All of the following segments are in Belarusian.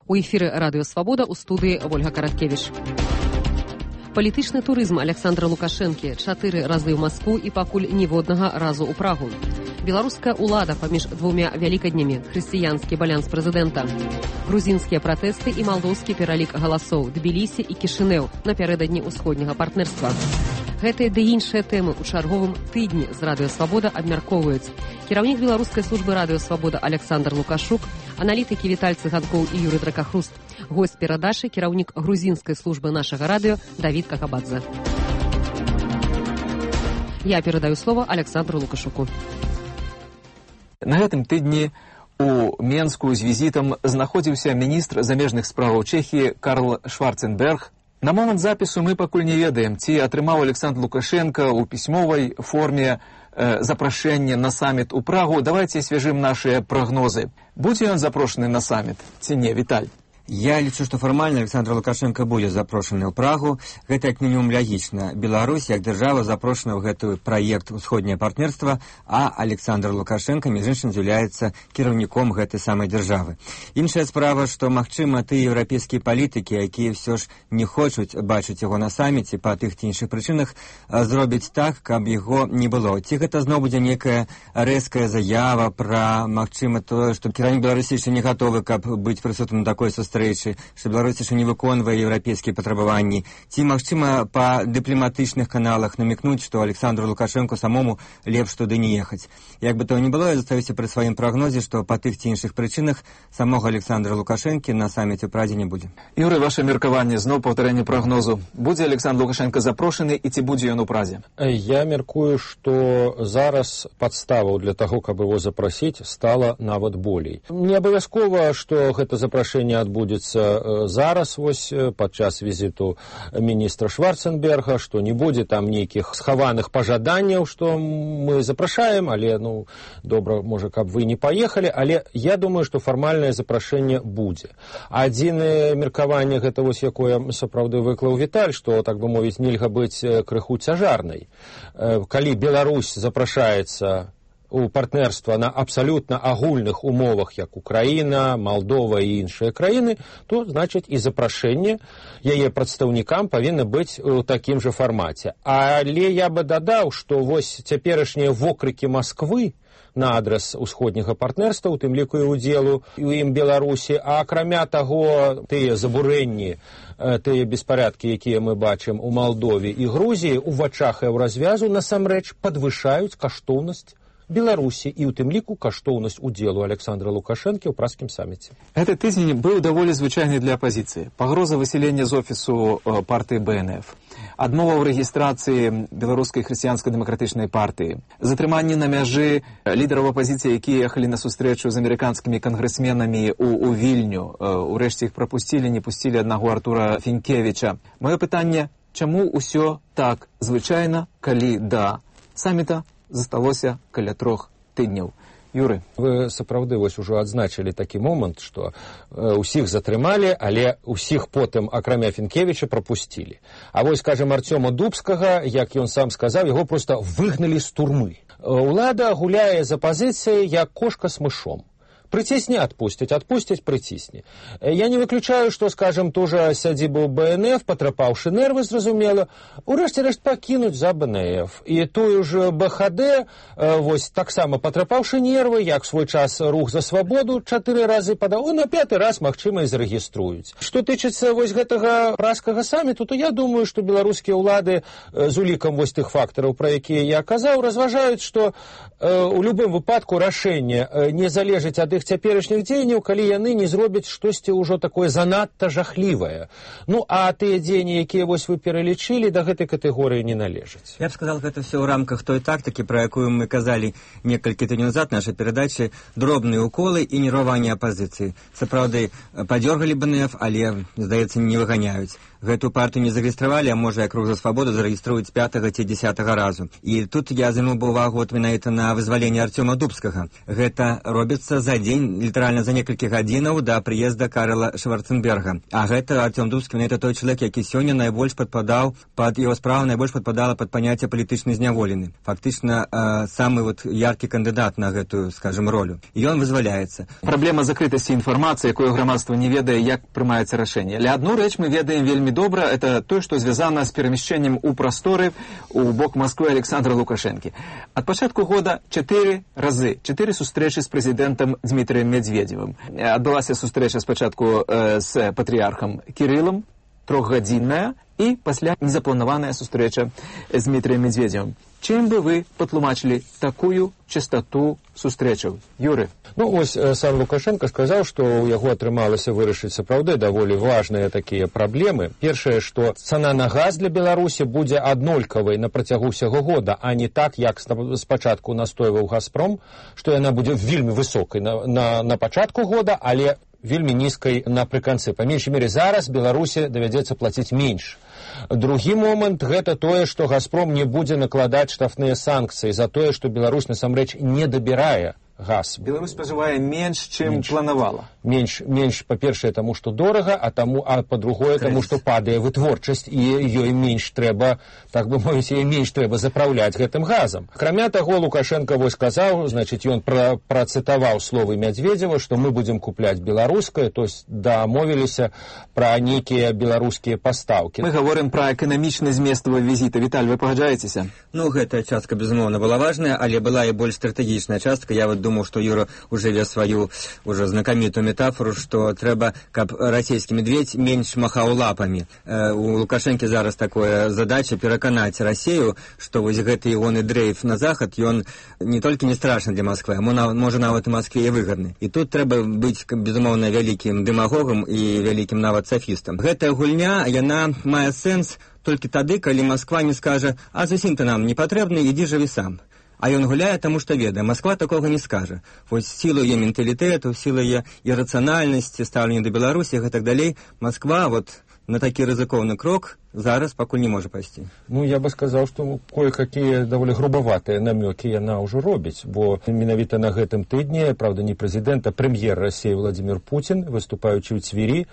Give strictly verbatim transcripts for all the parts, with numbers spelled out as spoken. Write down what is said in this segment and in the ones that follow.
У эфіры радыё Свабода, у студыі Вольга Караткевіч. Палітычны турызм Александра Лукашэнкі чатыры разы ў Маскву і пакуль ніводнага разу ў Прагу. Беларуская ўлада паміж двумя вялікаднямі, хрысціянскі балянс прэзідэнта. Грузінскія пратэсты і малдоўскі пералік галасоў, Тбілісі і Кішынеў напярэдадні ўсходняга партнерства. Гэтыя ды іншыя тэмы ў чарговым тыдні з радыё Свабода абмяркоўваюць кіраўнік беларускай службы радыё Свабода Александр Лукашук, аналітыкі Віталь Цыганкоў і Юрый Дракахруст, госць перадачы кіраўнік грузінскай службы нашага радыё Давід Какабадзе. Я перадаю слово Александру Лукашуку. На гэтым тыдні у Менску з візітам знаходзіўся міністр замежных справаў Чэхіі Карл Шварценберг. На момант запісу мы пакуль не ведаем, ці атрымаў Александр Лукашенко ў пісьмовай форме э, запрашэнне на саміт у Прагу. Давайте свяжым нашыя прагнозы. Будзе ён запрошаны на саміт ці не, Віталь? Я лічу, што фармальна Александр Лукашенко будзе запрошаны ў Прагу. Гэта як мінімум лягічна. Беларусь, як дзяржава, запрошана ў гэты праект «Усходняе партнерства», а Александр Лукашенко, між іншым, з'яўляецца кіраўніком гэтай самай дзяржавы. Іншая справа, што, магчыма, тыя еўрапейскія палітыкі, якія ўсё ж не хочуць бачыць яго на саміце па тых ці іншых прычынах, зробяць так, каб яго не было. Ці гэта зноў будзе некая рэзкая заява пра, магчыма, тое, што кіраўнік Беларусі яшчэ не гатовы, каб быць прысутным на такой сустрэчы, што Беларусь яшчэ не выконвае еўрапейскія патрабаванні, ці, магчыма, па дыпламатычных каналах намекнуць, што Александру Лукашенко самому лепш туды не ехаць. Як бы то ні было, я застаюся пры сваім прагнозе, што па тых ці іншых прычынах самога Александра Лукашэнкі на саміце ў Прадзе не будзе. Юрый, ваше меркаванне, зноў паўтарэнне прагнозу. Будзе Александр Лукашенко запрошаны і ці будзе ён у Празе? Я меркую, што зараз падставаў для таго, каб его запрасіць, стала нават болей. Не абавязкова, што гэта запрашэнне адбудзецца зараз, вось, падчас візіту міністра Шварценберга, што не будзе там нейкіх схаваных пажаданняў, што мы запрашаем, але, ну, добра, можа, каб вы не паехалі, але я думаю, што фармальнае запрашэнне будзе. Адзінае меркаванне, гэта вось якое сапраўды выклаў Віталь, што, так бы мовіць, нельга быць крыху цяжарнай. Калі Беларусь запрашаецца у партнерства на абсалютна агульных умовах, як Украіна, Малдова і іншыя краіны, то, значыць, і запрашэнне яе прадстаўнікам павінна быць у такім жа фармаце. Але я бы дадаў, што вось цяперашнія вокрыкі Масквы на адрас усходняга партнерства, у тым ліку і удзелу у ім Беларусі, а акрамя таго, тыя забурэнні, тыя беспарадкі, якія мы бачым у Малдове і Грузіі, у вачах еўразвязу насамрэч падвышаюць каштоўнасць Беларусі і ў тым ліку каштоўнасць удзелу Александра Лукашэнкі ў празскім саміце. Гэты тыдзень быў даволі звычайны для апазіцыі. Пагроза высялення з офісу партыі Бэ Эн Эф, адмова ў рэгістрацыі беларускай хрысціянска-дэмакратычнай партыі, затрыманне на мяжы лідараў апазіцыі, якія ехалі на сустрэчу з амерыканскімі кангрэсменамі у, у Вільню. Урэшце іх прапусцілі, не пусцілі аднаго Артура Фінкевіча. Маё пытанне, чаму ўсё так звычайна, калі да саміта засталося каля трох тыдняў? Юры. Вы сапраўды вось ужо адзначылі такі момант, што э, усіх затрымалі, але усіх потым, акрамя Фінкевіча, прапусцілі. А вось, скажем, Арцёма Дубскага, як ён сам сказаў, яго проста выгналі з турмы. Улада гуляе за пазіцыяй, як кошка з мышом. Прыцісні, адпусцяць, адпусцяць, прыцісні. Я не выключаю, што, скажем, тоже сядзібу Бэ Эн Эф, патрапаўшы нервы, зразумела, урэшце рэшт пакінуць за Бэ Эн Эф. І тую ж Бэ Ха Дэ, вось, таксама патрапаўшы нервы, як свой час рух за свабоду, чатыры разы падаў, на пяты раз, магчыма, і зарэгіструюць. Што тычыцца вось гэтага празскага саміту, то я думаю, што беларускія ўлады з улікам вось тых фактараў, пра якія я казаў, разважаюць, што у любым выпадку рашэнне не залежыць ад іх цяперашніх дзеянняў, калі яны не зробяць штосьці ўжо такое занадта жахлівае. Ну, а тыя дзеянні, якія вось вы пералічылі, да гэтай катэгорыі не належаць. Я б сказал, гэта все ў рамках той тактыкі, пра якую мы казалі некалькі тыдняў назад нашай перадачы, дробныя уколы і нерваванне апазіцыі. Сапраўды, падзёргалі Бэ Эн Эф, але, здаецца, не выганяюць. гэту партыю не зарэгістравалі, а можа, як Рух за свабоду зарэгіструюць пятага ці дзесятага разу. І тут я звярнуў бы ўвагу вот менавіта на вызваленне Артёма Дубскага. Гэта робіцца за дзень, літаральна за некалькі гадзінаў да прыезда Карла Шварценберга. А гэта Артём Дубскі, менавіта той чалавек, які сёння найбольш падпадаў пад яго справу, найбольш падпадала пад паняцце палітычны зняволены. Фактычна э, самы вот яркі кандыдат на гэтую, скажем, ролю. І ён вызваляецца. Праблема закрытасці інфармацыі, якую грамадства не ведае, як прымаецца рашэнне. Але адну рэч мы ведаем вельмі добра, это тое, што звязана з перамяшчэннем у прасторы у бок Масквы Александра Лукашэнкі. Ад пачатку года чатыры разы, чатыры сустрэчы з прэзідэнтам Дмітрыем Медведзевым. Адбылася сустрэча спачатку э, з патрыярхам Кірылам, трохгадзінная, і пасля незапланаваная сустрэча з Дмітрыем Медведзевым. Чым бы вы патлумачылі такую частоту сустрэчаў? Юры? Ну, ось сам Лукашенко сказаў, што ў яго атрымалася вырашыць сапраўды даволі важныя такія праблемы. Першае, што цана на газ для Беларусі будзе аднолькавай на працягу ўсяго года, а не так, як спачатку настойваў Газпром, што яна будзе вельмі высокай на, на, на пачатку года, але вельмі нізкай напрыканцы. Па меншай мере, зараз Беларусі давядзецца плаціць менш. Другі момант – гэта тое, што Газпром не будзе накладаць штрафныя санкцыі за тое, што Беларусь насамрэч не дабірае газ. Беларусь спажывае менш, чым менш. Планавала. Менш, менш па-першае, таму, што дорага, а, таму, а па-другое, таму, што падае вытворчасць, і ёй менш трэба, так бы мовіць, ёй менш трэба запраўляць гэтым газам. Акрамя таго, Лукашенко вось сказаў, значыць, ён пра, працытаваў словы Медведзева, што мы будзем купляць беларускае, то есть дамовіліся пра нейкія беларускія пастаўкі. Мы гаворым пра эканамічны змест візіта. Віталь, вы пагаджаецеся? Ну, гэтая частка, безумоўна, была важная, але была і больш стратэгічная частка. Я вот думаю, что Юра уже вез свою уже знакомитую метафору, что трэба, каб расійскі медведь менш махаў лапами. Э, у Лукашэнкі зараз такая задача пераканаць Расію, што вось гэты ягоны дрейф на захад, ён не толькі не страшны для Москвы, а можа нават і Москве і выгадны. І тут трэба быць, безумоўна, вялікім дэмагогам і вялікім нават сафістам. Гэтая гульня, яна мае сэнс толькі тады, калі Москва не скажа: а зусім ты нам не патрэбны, ідзі жыві сам. А ён гуляе, таму што ведае, Москва такога не скажа. Вось сілу яе менталітэту, сілу яе ірацыянальнасці, стаўлення да Беларусі і так далей, Москва вот на такі рызыкоўны крок зараз пакуль не можа пайсці. Ну, я бы сказаў, што кое-какія даволі грубаватыя намёкі яна ўжо робіць, бо менавіта на гэтым тыдні, правда, не прэзідэнт, а прэм'ер Расіі Владзімір Пуцін, выступаючы ў Цвірі,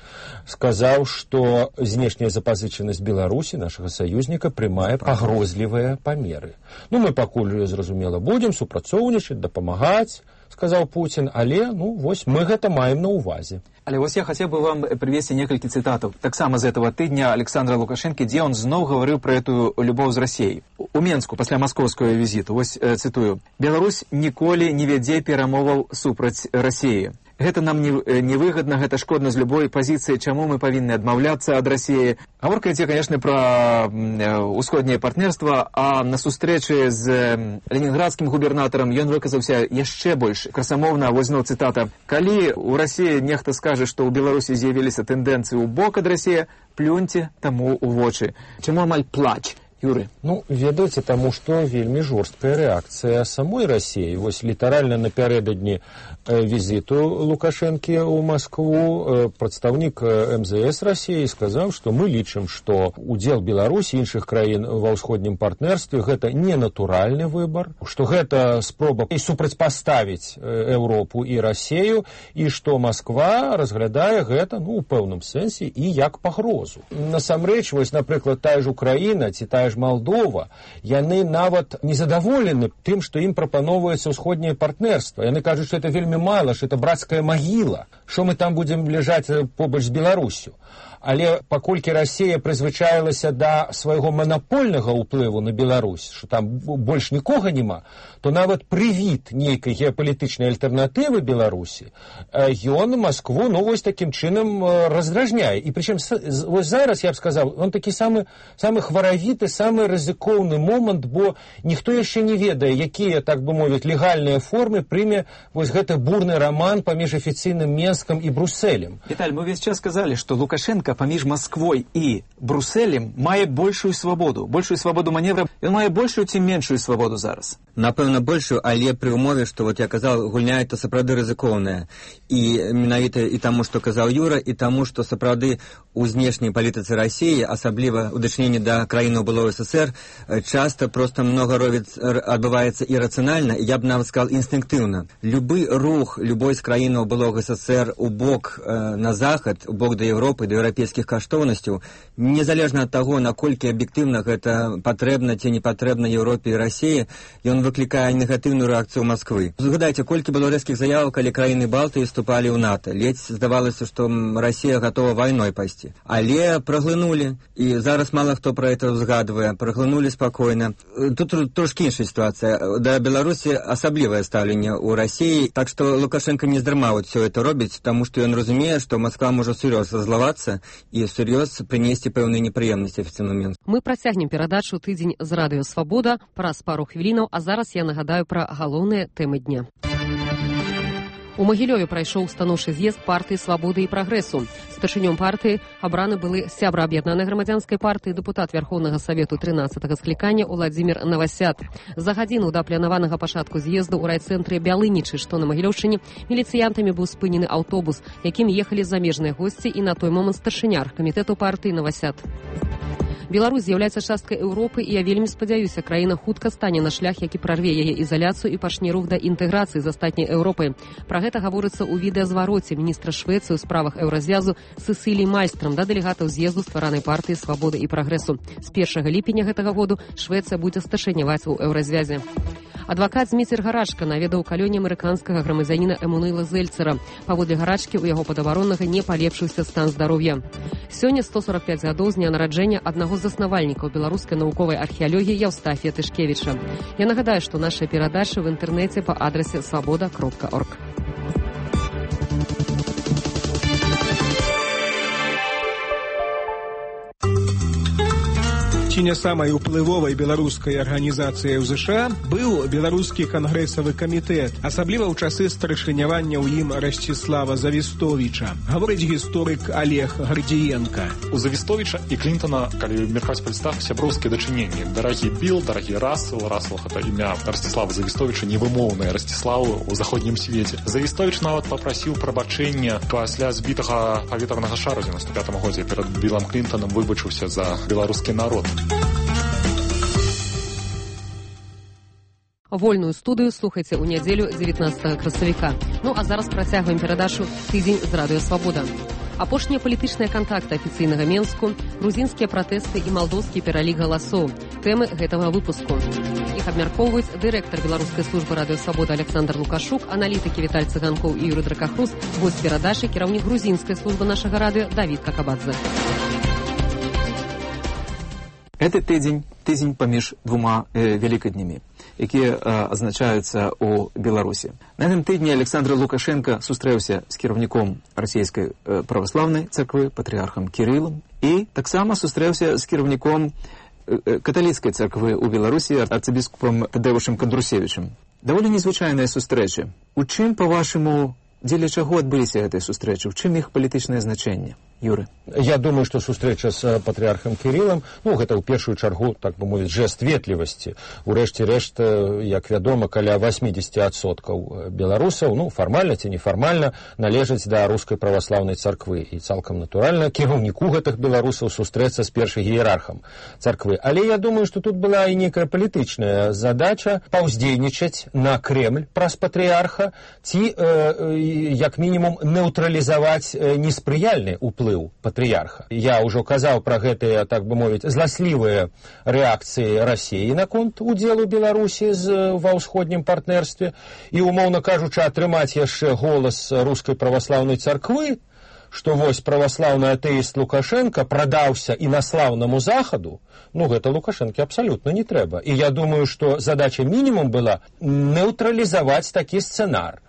сказаў, што знешняя запазычанасць Беларусі, нашага саюзніка, прымае пагрозлівыя памеры. Ну, мы пакуль, зразумела, будзем супрацоўнічаць, дапамагаць, сказаў Пуцін, але, ну, вось мы гэта маем на ўвазе. Але вось я хацеў бы вам прывесці некалькі цытатаў. Таксама з этого тыдня Александра Лукашэнкі, дзе он зноў гаварыў пра эту любоў з Расіяй. У Менску пасля маскоўскага візіту, вось э, цытую: «Беларусь ніколі не вядзе перамоваў супраць Расіі. Гэта нам не, не выгодна, гэта шкодна з любой пазіцыі, чаму мы павінны адмаўляцца ад Расіі». Гаворка ідзе, конечно, пра ўсходняе партнерства, а на сустрэчы з ленінградскім губернатарам ён выказаўся яшчэ больш красамоўна. Вось зноў цытата: «Калі у Расіі нехта скажа, што ў Беларусі з'явіліся тэндэнцыі ў бок ад Расіі, плюньце таму ў вочы». Чаму амаль плач? Юры? Ну, ведаеце, таму што вельмі жорсткая рэакцыя самой Расіі. Вось літаральна напярэдадні візіту Лукашэнкі ў Маскву прадстаўнік эм зэ эс Расіі сказаў, што мы лічым, што удзел Беларусі і іншых краін ва ўсходнім партнерстве гэта не натуральны выбар, што гэта спроба супрацьпаставіць Еўропу і Расію, і што Масква разглядае гэта, ну, у пэўным сэнсе і як пагрозу. Насамрэч, вось, напрыклад, тая ж Украіна ці тая ж Малдова, яны нават незадаволены тым, што ім прапаноўваецца ўсходняе партнерства. Яны кажуць, што это вельмі мала, што это брацкая магіла, што мы там будзем ляжаць побач з Беларусю. Але паколькі Расія прызвычаілася да свайго манапольнага ўплыву на Беларусь, што там больш нікога няма, то нават прывід нейкай геапалітычнай альтэрнатывы Беларусі ён Маскву, ну, вось такім чынам раздражняе. І прычым вось зараз, я б сказаў, он такі самы, самы хваравіты, самы рызыкоўны момант, бо ніхто яшчэ не ведае, якія, так бы мовіць, легальныя формы прыме вось гэты бурны раман паміж афіцыйным Менскам і Брусэлем. Віталь, мы весь час сказалі, што Лукашенко Мінска паміж Масквой і Брусселем мае большую свабоду, большую свабоду маневра. Ён мае большую ці меншую свабоду зараз? Напэўна, большую, але пры ўмове, што, вот я казаў, гульня это сапраўды рызыкоўная. І менавіта і таму, што казаў Юра, і таму, што сапраўды у знешняй палітыцы Расіі, асабліва ў дачыненні да краінаў былого СССР, часта проста многа ровіц адбываецца ірацыянальна, я б нават сказал інстынктыўна. Любы рух любой з краінаў былога СССР у бок э, на захад, у бок да Европы, да еўрапейскіх каштоўнасцяў, незалежна ад таго, наколькі аб'ектыўна гэта патрэбна ці не патрэбна Еўропе і Расіі, ён выклікае негатыўную рэакцыю Масквы. Згадайце, колькі было рэзкіх заяваў, калі краіны Балтыі вступалі ў НАТО. Ледзь здавалася, што Расія гатова вайной пайсці. Але праглынулі, і зараз мала хто пра гэта згадвае, праглынулі спакойна. Тут трошкі іншая сітуацыя. Да Беларусі асаблівае стаўленне ў Расіі, так што Лукашенко не здарма вот все это робіць, таму што ён разумее, што Москва можа сур'ёз раззлавацца і сур'ёз прынесці пэўныя непрыемнасці афіцыйнаму Мінску. Мы працягнем перадачу «Тыдзень з радыё Свабода» праз пару хвілінаў, а зараз я нагадаю пра галоўныя тэмы дня. У Магілёве прайшоў станоўчы з'езд партыі «Свабоды і прагрэсу». Старшынём партыі абраны былы сябра аб'яднанай грамадзянскай партыі, дэпутат Верхоўнага Савету трынаццатага склікання Уладзімір Навасят. За гадзіну да планаванага пачатку з'езду ў райцэнтры Бялынічы, што на Магілёўшчыне, міліцыянтамі быў спынены аўтобус, якім ехалі замежныя госці і на той момант старшыня аргкамітэту партыі Навасят. Беларусь з'яўляецца часткай Еўропы, і я вельмі спадзяюся, краіна хутка стане на шлях, які прарве яе ізаляцыю і пачне рух да інтэграцыі з астатняй Еўропай. Пра гэта гаворыцца ў відэазвароце міністра Швецыі ў справах еўразвязу Сесілій Мальстрам да дэлегатаў з'езду стваранай партыі «Свабоды і прагрэсу». З першага ліпеня гэтага году Швецыя будзе старшыняваць у еўразвязе. Адвакат Зміцер Гарачка наведаў калёне амерыканскага грамадзяніна Эмунэйла Зельцера. Паводле Гарачкі, у яго падабароннага не палепшыўся стан здароўя. Сёння сто сорок пяць гадоў з дня нараджэння аднаго з заснавальнікаў беларускай навуковай археалогіі Яўстафія Тышкевіча. Я нагадаю, што наша перадача в інтэрнэце па адрасе свабода кропка орг. Ці не самай уплывовай беларускай арганізацыяй у ЗША быў беларускі кангрэсавы камітэт, асабліва ў часы старшынявання ў ім Расціслава Завістовіча, гаворыць гісторык Олег Гардзіенка. У Завістовіча і Клінтона, калі меркаць па лістах, сяброўскія дачыненні. Дарагі Біл, дарагі Рассел, Рассел гэта імя Расціслава Завістовіча, невымоўнае Расціславу ў заходнім свеце. Завістовіч нават папрасіў прабачэння пасля збітага паветранага шара ў дзевяносто пятым годзе перад Білам Клінтонам, выбачыўся за беларускі народ. Вольную студыю слухайце ў нядзелю дзевятнаццатага красавіка. Ну а зараз працягваем перадачу «Тыдзень з радыё Свабода». Апошнія палітычныя кантакты афіцыйнага Менску, грузінскія пратэсты і малдоўскі пералік галасоў. Тэмы гэтага выпуску. Іх абмяркоўваюць дырэктар беларускай службы радыё Свабода Александр Лукашук, аналітыкі Віталь Цыганкоў і Юры Дракахрус, госць перадачы кіраўнік грузінскай службы нашага радыё Давід Какабадзе. Гэты тыдзень, тыдзень паміж двума э, вялікаднямі, якія э, азначаюцца ў Беларусі. На гэтым тыдні Александр Лукашенко сустрэўся з кіраўніком расійскай э, праваслаўнай царквы, патрыархам Кірылам, і таксама сустрэўся з кіраўніком э, каталіцкай царквы ў Беларусі, арцыбіскупам Тадэвушам Кандрусевічам. Даволі незвычайныя сустрэчы. У чым, па-вашаму, дзеля чаго адбыліся гэтыя сустрэчы? У чым іх палітычнае значэнне? Юры. Я думаю, што сустрэча з патрыархам Кірылам, ну, гэта ў першую чаргу, так бы мовіць, жэст ветлівасці. Урэшце рэшт, як вядома, каля восемьдесят адсоткаў беларусаў, ну, фармальна ці нефармальна, належаць да рускай праваслаўнай царквы. І цалкам натуральна кіраўніку гэтых беларусаў сустрэцца з першым іерархам царквы. Але я думаю, што тут была і некая палітычная задача паўздзейнічаць на Кремль праз патрыарха ці, э, як мінімум, нейтралізаваць неспрыяльны ўплыў патрыярха. Я ўжо казаў пра гэтыя, так бы мовіць, зласлівыя рэакцыі Расіі наконт удзелу Беларусі з, ва ўсходнім партнерстве і, умоўна кажучы, атрымаць яшчэ голас рускай праваслаўнай царквы, што вось праваслаўны атэіст Лукашенко прадаўся інаслаўнаму захаду, ну, гэта Лукашэнке абсалютна не трэба. І я думаю, што задача мінімум была нейтралізаваць такі сцэнар.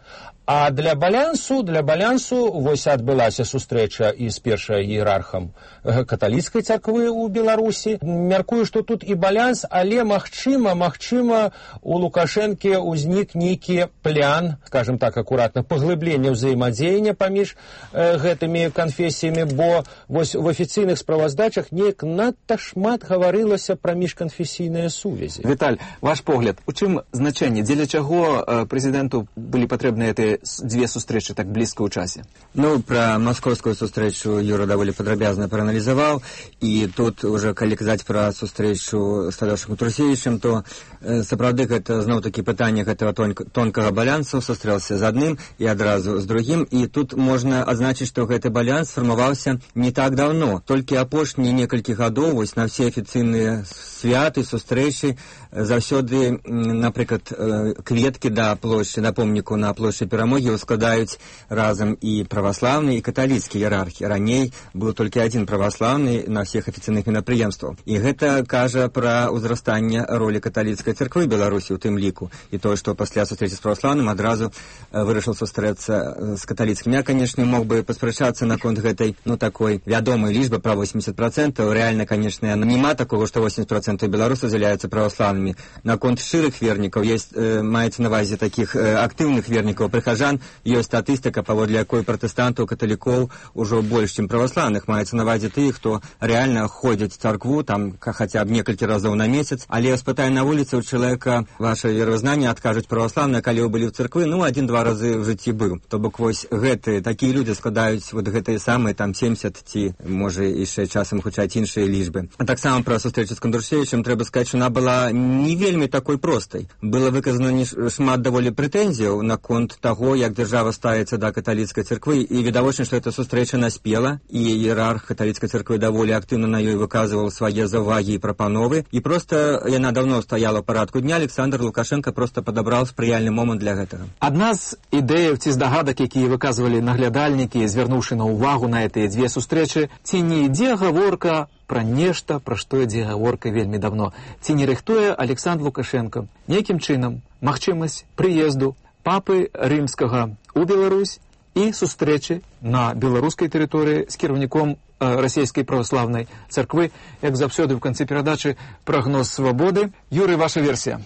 А для балансу, для балансу вось адбылася сустрэча і з першай іерархам каталіцкай царквы ў Беларусі. Мяркую, што тут і баланс, але магчыма, магчыма, у Лукашэнкі ўзнік нейкі плян, скажем так акуратна, паглыблення ўзаемадзеяння паміж э, гэтымі канфесіямі, бо вось в афіцыйных справаздачах неяк надта шмат гаварылася пра міжканфесійныя сувязі. Віталь, ваш погляд, у чым значэнне, дзеля чаго э, прэзідэнту былі патрэбныя гэтыя дзве сустрэчы так блізка ў часе? Ну, пра маскоўскую сустрэчу Юра даволі падрабязна прааналізаваў, і тут уже калі казаць пра сустрэчу з Тадеушам Турсевічем, то э, сапраўды гэта зноў-такі пытанне гэтага тонк тонкага балансу, сустрэўся з адным і адразу з другім, і тут можна адзначыць, што гэты баланс фармаваўся не так даўно. Толькі апошнія некалькі гадоў вось на все афіцыйныя святы, сустрэчы заўсёды, напрыклад, э, кветкі да плошчы, да помніку на плошчы Перамогі складаюць разам і праваслаўныя, і каталіцкія іерархі. Раней быў толькі адзін праваслаўны на всех афіцыйных мерапрыемствах. І гэта кажа пра ўзрастанне ролі каталіцкай царквы Беларусі ў тым ліку. І тое, што пасля сустрэчы з праваслаўным адразу вырашыў сустрэцца з каталіцкім. Я, канешне, мог бы паспрачацца наконт гэтай, ну, такой вядомай лічбы пра восемьдесят процентов. Рэальна, канешне, няма такого, што восемьдесят процентов беларусаў з'яўляюцца праваслаўнымі. Наконт шчырых вернікаў есть, э, маецца на ўвазе такіх э, актыўных вернікаў, прыхажан, ёсць статыстыка, паводле якой пратэстантаў, каталікоў ужо больш, чым праваслаўных. Маецца на ўвазе тых, хто рэальна ходзяць в царкву, там хаця б некалькі разоў на месяц, але спытай на вуліцы ў чалавека ваше веравызнанне, адкажуць праваслаўныя, калі вы былі ў царквы, ну, адзін-два разы в жыцці быў. То бок вось гэтыя, такія людзі складаюць вот гэтыя самыя там семьдесят ці, можа, яшчэ часам гучаць іншыя лічбы. А таксама пра сустрэчу з Кандрушевічем трэба сказаць, што она была не вельмі такой простай. Было выказана шмат даволі прэтэнзіяў наконт таго, як дзяржава ставіцца да каталіцкай царквы, і відавочна, што эта сустрэча наспела, і іерарх каталіцкай царквы даволі актыўна на ёй выказваў свае заўвагі і прапановы, і проста яна давно стаяла ў парадку дня. Александр Лукашенко проста падабраў спрыяльны момант для гэтага. Адна з ідэяў ці здагадак, якія выказвалі наглядальнікі, звярнуўшы на ўвагу на гэтыя дзве сустрэчы, ці не ідзе гаворка пра нешта, пра што ідзе гаворка вельмі давно, ці не рыхтуе Александр Лукашенко нейкім чынам магчымасць прыезду папы рымскага ў Беларусь і сустрэчы на беларускай тэрыторыі з кіраўніком расійскай праваслаўнай царквы. Як заўсёды ў канцы перадачы прагноз свабоды. Юрый, ваша версія?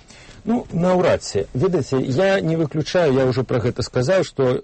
Ну, наўрад ці. Ведаеце, я не выключаю, я ўжо пра гэта сказаў, што, э,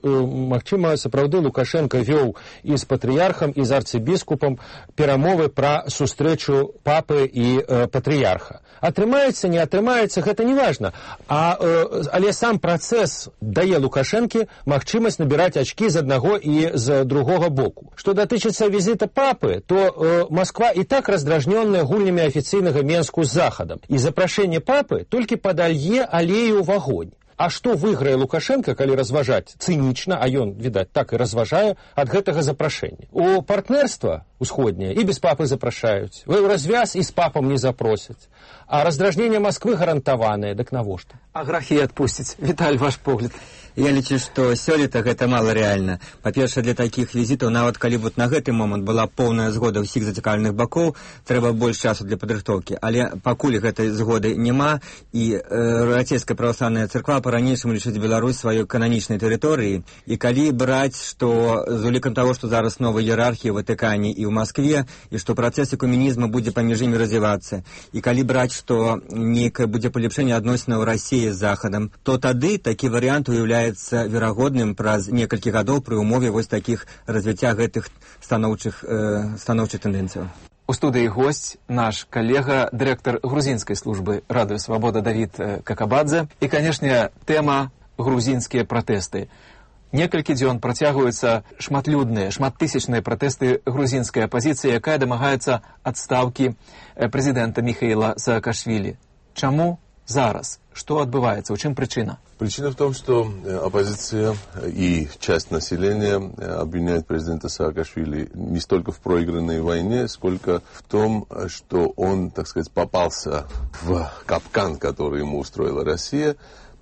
магчыма, сапраўды Лукашенко вёў і з патрыярхам, і з арцыбіскупам перамовы пра сустрэчу папы і э, патрыярха. Атрымаецца, не атрымаецца, гэта не важна. А, э, але сам працэс дае Лукашэнкі магчымасць набіраць ачкі з аднаго і з другога боку. Што датычыцца візіта папы, то э, Москва і так раздражнёная гульнямі афіцыйнага Менску з захадам. І запрашэнне папы толькі падалье алею ў вагонь. А што выйграе Лукашенко, калі разважаць цынічна, а ён, відаць, так і разважае ад гэтага запрашэння? У партнерства усходняе і без папы запрашаюць. Вы ў развяз і з папам не запросяць. А раздражненне Москвы гарантаванае, дык навошта? А грахі адпусціць. Віталь, ваш погляд. Я лічу, што сёлета гэта мала рэальна. Па-першае, для такіх візітаў, нават калі вот на гэты момант была поўная згода ўсіх зацікаўленых бакоў, трэба больш часу для падрыхтоўкі. Але пакуль гэтай згоды няма, і э, расійская праваслаўная царква па-ранейшаму лічыць Беларусь сваёй кананічнай тэрыторыі, і калі браць, што з улікам таго, што зараз новая іерархія ў Ватыкане і ў Маскве, і што працэс экуменізму будзе паміж імі развівацца, і калі браць, што нейкае будзе палепшэнне адносінаў Расіі з Захадам, то тады такі варыянт уяўляецца верагодным праз некалькі гадоў пры ўмове вось такіх развіцця гэтых станоўчых, э, станоўчых тэндэнцыяў. У студыі госць наш калега, дырэктар грузінскай службы Радыё Свабода Давід Какабадзе. І, канешне, тэма грузінскія пратэсты. Некалькі дзён працягваюцца шматлюдныя, шматтысячныя пратэсты грузінскай апазіцыі, якая дамагаецца адстаўкі прэзідэнта Михаила Саакашвілі. Чаму зараз? Что отбывается? В чем причина? Причина в том, что оппозиция и часть населения обвиняет президента Саакашвили не столько в проигранной войне, сколько в том, что он, так сказать, попался в капкан, который ему устроила Россия,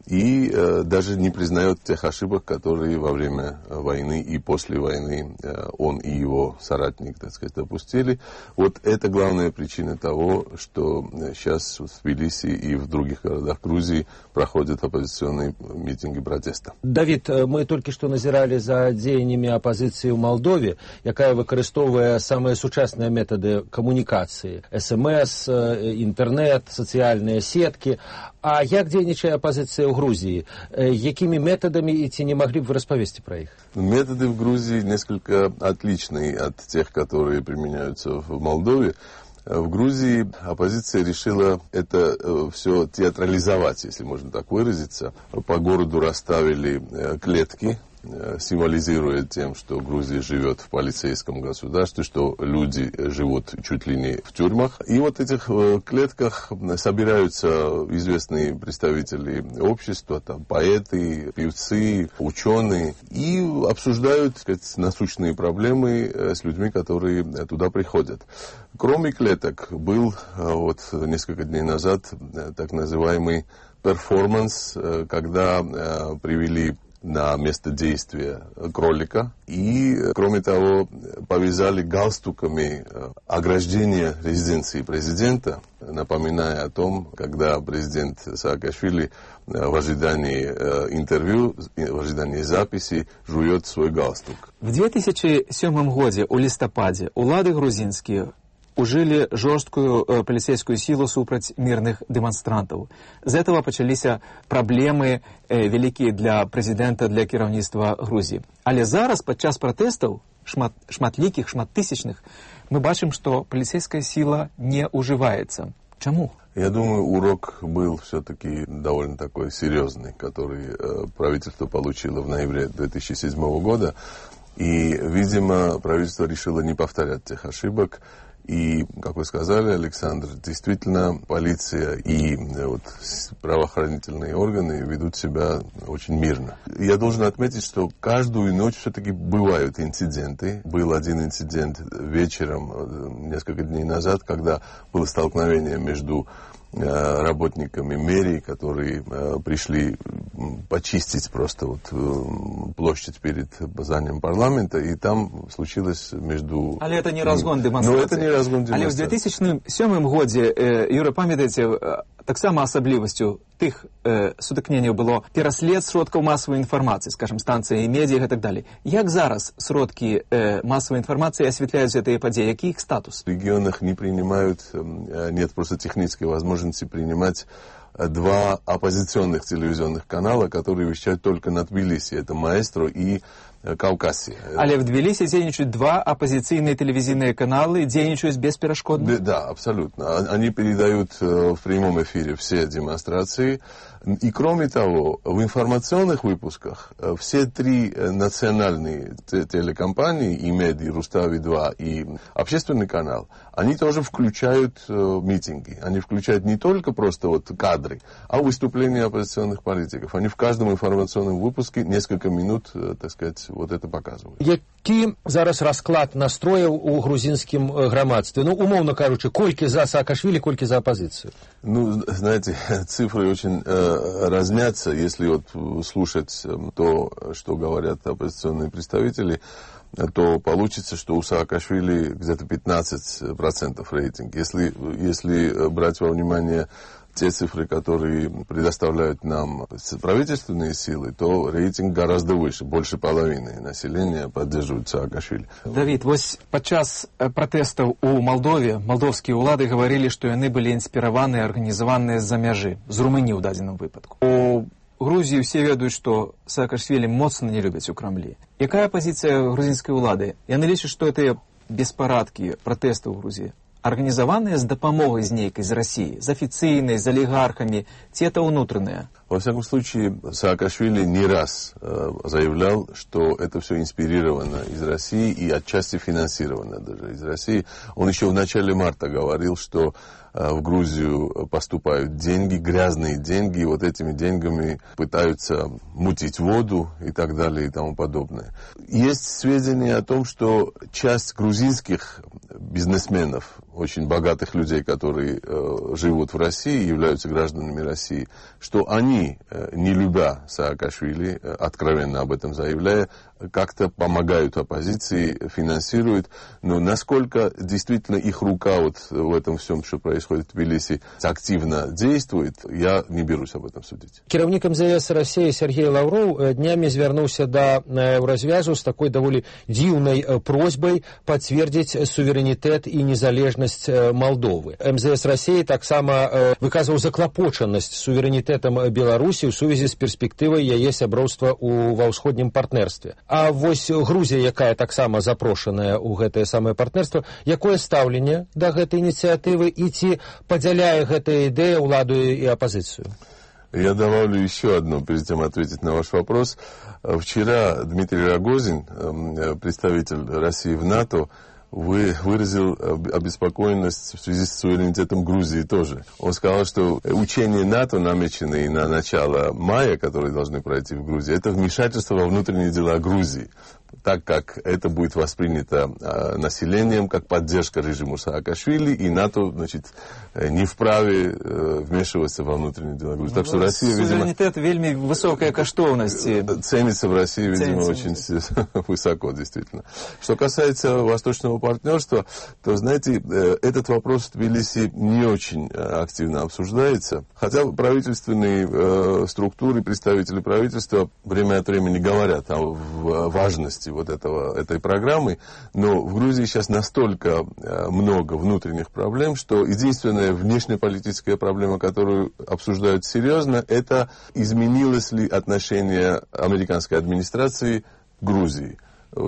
и э, даже не признает тех ошибок, которые во время войны и после войны э, он и его соратник, так сказать, допустили. Вот это главная причина того, что сейчас в Тбилиси и в других городах Грузии проходят оппозиционные митинги протеста. Давид, мы только что назирали за дзеяннями оппозиции в Молдове, якая выкарыстоўвае самые сучасныя методы коммуникации: СМС, интернет, социальные сетки. А як дзейнічае оппозиция в Грузии? Якими методами, и ці не могли бы вы распавесці про их? Методы в Грузии несколько отличные от тех, которые применяются в Молдове. В Грузии оппозиция решила это э, все театрализовать, если можно так выразиться. По городу расставили э, клетки, э, символизируя тем, что Грузия живет в полицейском государстве, что люди живут чуть ли не в тюрьмах. И вот в этих э, клетках собираются известные представители общества, там, поэты, певцы, ученые, и обсуждают, так сказать, насущные проблемы э, с людьми, которые туда приходят. Кроме клеток был вот несколько дней назад так называемый перформанс, когда привели на место действия кролика и, кроме того, повязали галстуками ограждение резиденции президента, напоминая о том, когда президент Саакашвили в ожидании интервью, в ожидании записи жует свой галстук. В две тысячи седьмом году у листопаде улады грузинские ужили жорсткую э, полицейскую силу супраць мирных демонстрантов. З этого пачались проблемы э, великие для президента, для кіраўніцтва Грузии. Але зараз падчас протестов шмат, шматлікіх, шматтысячных мы бачым, что полицейская сила не уживается. Чему? Я думаю, урок был все-таки довольно такой серьезный, который э, правительство получило в ноябре две тысячи седьмого года. И, видимо, правительство решило не повторять тех ошибок. И, как вы сказали, Александр, действительно, полиция и вот, правоохранительные органы ведут себя очень мирно. Я должен отметить, что каждую ночь все-таки бывают инциденты. Был один инцидент вечером, несколько дней назад, когда было столкновение между работниками мэрии, которые пришли почистить просто вот площадь перед зданием парламента, и там случилось между... Але это не разгон демонстрации. Но это не разгон демонстрации. Але в две тысячи седьмом году, Юра, памятаете, таксама асаблівасцю тых э, сутыкненняў было пераслед сродкаў массовой информации, скажем, станции, медиа и так далее. Як зараз сродки э, массовой информации осветляют эти подеи? Який их статус? В регионах не принимают, нет просто технической возможности принимать два оппозиционных телевизионных канала, которые вещают только на Тбилиси. Это «Маэстро» и Кавказі. Але в Тбилиси дзейнічаюць два оппозиционные телевизионные каналы, дзейнічаюць бесперашкодно? Да, абсолютно. Они передают в прямом эфире все демонстрации. И кроме того, в информационных выпусках все три национальные телекомпании, и МЕД, и Рустави-два, и общественный канал, они тоже включают митинги. Они включают не только просто вот кадры, а выступления оппозиционных политиков. Они в каждом информационном выпуске несколько минут, так сказать, вот это показывают. Які зараз расклад настрояў у грузинскім грамадстве? Ну, умовно кажучи, колькі за Саакашвили, колькі за оппозицию? Ну, знаете, цифры очень э, разнятся. Если вот слушать то, что говорят оппозиционные представители, то получится, что у Саакашвили где-то пятнадцать процентов рейтинг. Если, если брать во внимание те цифры, которые предоставляют нам правительственные силы, то рейтинг гораздо выше. Больше половины населения поддерживают Саакашвили. Давид, вось падчас протестов у Молдове молдовские улады говорили, что яны были инспированы и организованы за мяжи, з Румынии в дадзеным выпадку. У Грузии все ведают, что Саакашвили моцна не любят у Кремлі. Якая позиция грузинской улады? Яны лічаць, что это беспарадки, протесты в Грузии организованные с допомогой з нейкой, из России, с официальной, с олигархами, те это внутренние? Во всяком случае, Саакашвили не раз э, заявлял, что это все инспирировано из России и отчасти финансировано даже из России. Он еще в начале марта говорил, что э, в Грузию поступают деньги, грязные деньги, и вот этими деньгами пытаются мутить воду и так далее и тому подобное. Есть сведения о том, что часть грузинских бизнесменов, очень богатых людей, которые э, живут в России, являются гражданами России, что они они, не любя Саакашвили, откровенно об этом заявляя, как-то помогают оппозиции, финансируют. Но насколько действительно их рука вот в этом всем, что происходит в Тбилиси, активно действует, я не берусь об этом судить. Кіраўнік эм зэ эс России Сергей Лавров днями звярнуўся да Еўразвязу с такой даволі дзіўнай просьбой подтвердить суверэнітэт и незалежность Молдовы. эм зэ эс России таксама выказываў заклапочанасць суверэнітэтам Беларусі ў сувязі з перспектывай яе сяброўства ў ва ўсходнім партнерстве. А вось Грузія, якая таксама запрошаная ў гэтае самае партнерство, якое стаўленне да гэтай ініцыятывы і ці падзяляе гэтая ідэя ўладу і апозицию? Я добавлю еще одно, прежде чем ответить на ваш вопрос. Вчера Дмитрий Рогозин, представитель России в НАТО, Вы выразил обеспокоенность в связи с суверенитетом Грузии тоже. Он сказал, что учения НАТО, намеченные на начало мая, которые должны пройти в Грузии, это вмешательство во внутренние дела Грузии, так как это будет воспринято э, населением как поддержка режиму Саакашвили, и НАТО, значит, не вправе э, вмешиваться во внутренние дела Грузии. Так что Россия, видимо... Суверенитет вельми высокая коштовность. Ценится в России, видимо, Ценится. очень высоко, действительно. Что касается восточного партнерства, то, знаете, этот вопрос в Тбилиси не очень активно обсуждается. Хотя правительственные э, структуры, представители правительства время от времени говорят о важности вот этого, этой программы, но в Грузии сейчас настолько много внутренних проблем, что единственная внешнеполитическая проблема, которую обсуждают серьезно, это изменилось ли отношение американской администрации к Грузии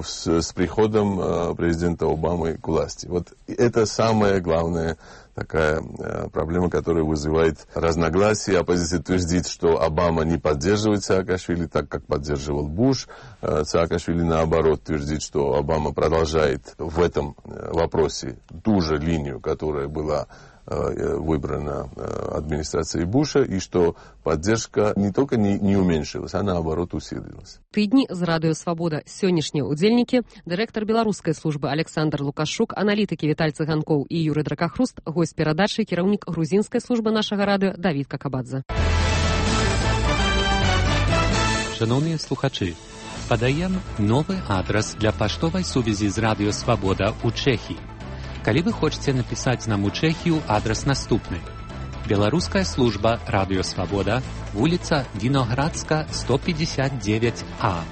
с, с приходом э, президента Обамы к власти. Вот это самая главная такая э, проблема, которая вызывает разногласия. Оппозиция твердит, что Обама не поддерживает Саакашвили так, как поддерживал Буш. Э, Саакашвили, наоборот, твердит, что Обама продолжает в этом вопросе ту же линию, которая была выбрана администрацией Буша, и что поддержка не только не, не уменьшилась, а наоборот усилилась. Тыдні з Радыё Свабода. Сённяшнія ўдзельнікі, дырэктар беларускай службы Александр Лукашук, аналітыкі Віталь Цыганкоў і Юрый Дракахруст, госць перадачы, кіраўнік грузінскай службы нашага радыё Давід Какабадзе. Шановні слухачі, подаем новый адрес для паштовай сувязі з Радыё Свабода ў Чэхіі. Калі вы хочаце напісаць нам у Чэхію, адрес наступны. Беларуская служба Радыё Свабода, вуліца Віноградска, сто пятьдесят девять А,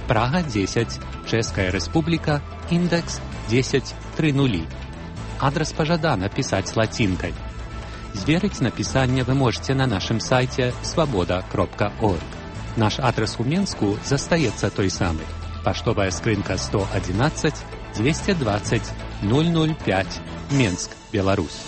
Прага десять, Чэшская Рэспубліка, індекс десять тридцать. Адрес пажадана пісаць лацінкай. Зверыць напісанне вы можете на нашым сайце свабода кропка орг. Наш адрес у Менску застаецца той самы. Паштовая скрынка сто одиннадцать двести двадцать ноль ноль пять, Менск, Беларусь.